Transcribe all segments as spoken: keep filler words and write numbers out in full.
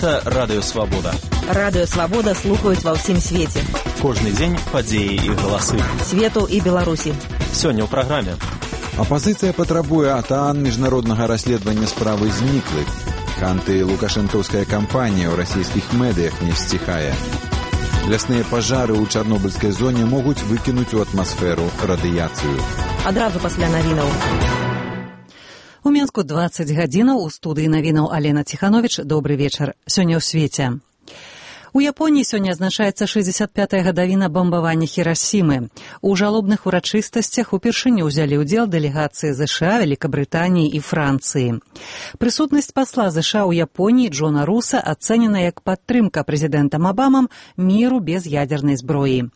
Гэта Радыё Свабода. Радыё Свабода слухаюць ва ўсім свеце. Кожны дзень падзеі і галасы. Свету і Беларусі. Сёння ў праграме. Апазіцыя патрабуе ад ААН міжнароднага расследавання справы зніклых. Анты-лукашэнкаўская кампанія ў расійскіх медыях не сціхае. Лясныя пажары ў чарнобыльскай зоне могуць выкінуць у атмасферу радыяцыю. Адразу пасля навінаў. У Мінску дваццаць гадзінаў, у студыі навінаў Алена Ціхановіч. Добры вечар. Сёння ў свеце. У Японіі сёння адзначаецца шэсцьдзесят пятая гадавіна бамбавання Хірасімы. У жалобных урачыстасцях упершыню ўзялі ўдзел дэлегацыі ЗША, Великабрытаніі і Францыі. Прысутнасць пасла ЗША ў Японіі Джона Руса ацэнена як падтрымка прэзідэнтам Абамам міру без ядзернай зброі.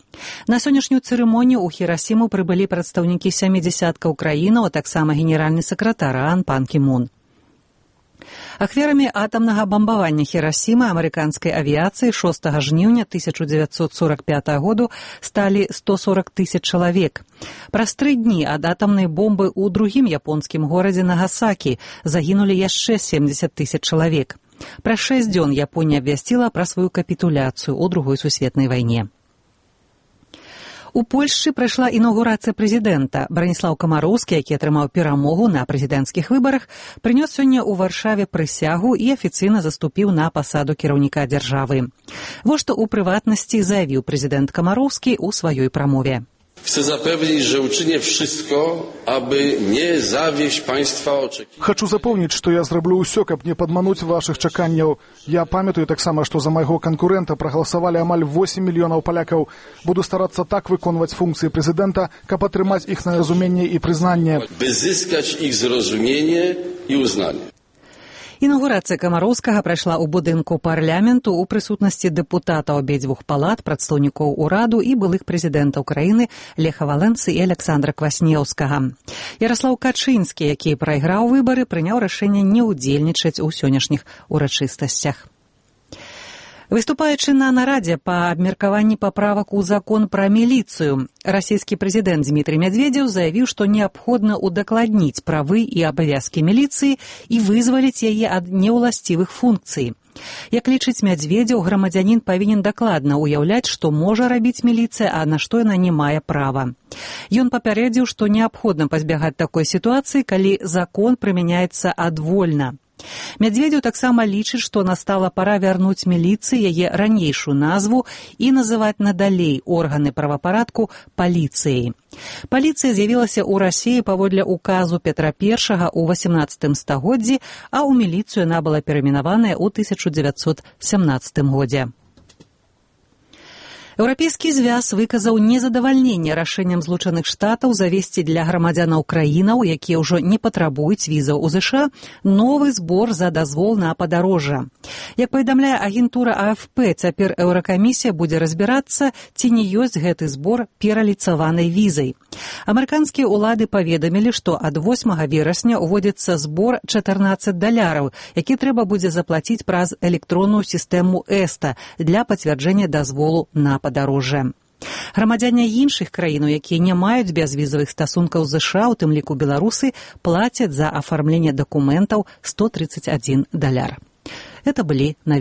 На сённяшнюю цырымонію ў Хірасіму прыбылі прадстаўнікі сямі дзясяткаў краінаў, а таксама генеральны сакратар ААН Пан Кі Мун. Ахвярамі атамнага бамбавання Хірасімы амерыканскай авіяцыі шостага жніўня тысяча дзевяцьсот сорак пятага году сталі сто сорак тысяч чалавек. Праз тры дні ад атамнай бомбы ў другім японскім горадзе Нагасакі загінулі яшчэ семдзесят тысяч чалавек. Праз шэсць дзён Японія абвясціла пра сваю капітуляцыю ў другой сусветнай вайне. У Польшчы прайшла інаўгурацыя прэзідэнта. Браніслаў Камароўскі, які атрымаў перамогу на прэзідэнцкіх выбарах, прынёс сёння ў Варшаве прысягу і афіцыйна заступіў на пасаду кіраўніка дзяржавы. Вось што ў прыватнасці заявіў прэзідэнт Камароўскі ў сваёй прамове. Chcę zapewnić, że uczynię wszystko, aby nie zawieść państwa oczekiwań. Хочу запомніць, што я зраблю ўсё, каб не падмануць вашых чаканняў. Я памятаю таксама, што за майго канкурэнта прагаласавалі амаль восем мільёнаў палякаў. Буду старацца так выконваць функцыі прэзідэнта, каб атрымаць іх на разуменне і прызнанне. By zyskać ich zrozumienie i uznanie. Інаўгурацыя Камароўскага прайшла ў будынку парламенту ў прысутнасці дэпутатаў абедзвюх палат, прадстаўнікоў ураду і былых прэзідэнтаў краіны Леха Валенцы і Александра Кваснеўскага. Яраслаў Качынскі, які прайграў выбары, прыняў рашэнне не ўдзельнічаць у сённяшніх урачыстасцях. Выступаючы на нарадзе па абмеркаванні паправак у закон пра міліцыю, расійскі прэзідэнт Дмітрый Мядзведзеў заявіў, што неабходна удакладніць правы і абавязкі міліцыі і вызваліць яе ад неўласцівых функцый. Як лічыць Мядзведзеў, грамадзянін павінен дакладна ўяўляць, што можа рабіць міліцыя, а на што яна не мае права. Ён папярэдзіў, што неабходна пазбягаць такой сітуацыі, калі закон прымяняецца адвольна. Мядзведзеў таксама лічыць, што настала пара вярнуць міліцыі яе ранейшую назву і называць надалей органы правапарадку паліцыяй. Паліцыя з'явілася ў Расіі паводле указу Петра Першага ў васямнаццатым стагоддзі, а ў міліцыю яна была перайменаваная ў тысяча дзевяцьсот сямнаццатым годзе. Еўрапейскі звяз выказаў незадавальненне рашэннем Злучаных Штатаў завесці для грамадзянаў краінаў, якія ўжо не патрабуюць візаў у ЗША, новы збор за дазвол на падарожжа. Як паведамляе агентура А Эф Пэ, цяпер Еўракамісія будзе разбірацца, ці не ёсць гэты збор пераліцаванай візай. Амерыканскія ўлады паведамілі, што ад восьмага верасня ўводзіцца збор чатырнаццаць даляраў, які трэба будзе заплаціць праз электронную сістэму эста для пацвярджэння дазволу на падарожжа. Падарожжа. Грамадзяне іншых краін, якія не маюць бязвізавых стасункаў з ЗША, у тым ліку беларусы, плацяць за афармленне дакументаў сто тридцать один даляр. Это былі навіны.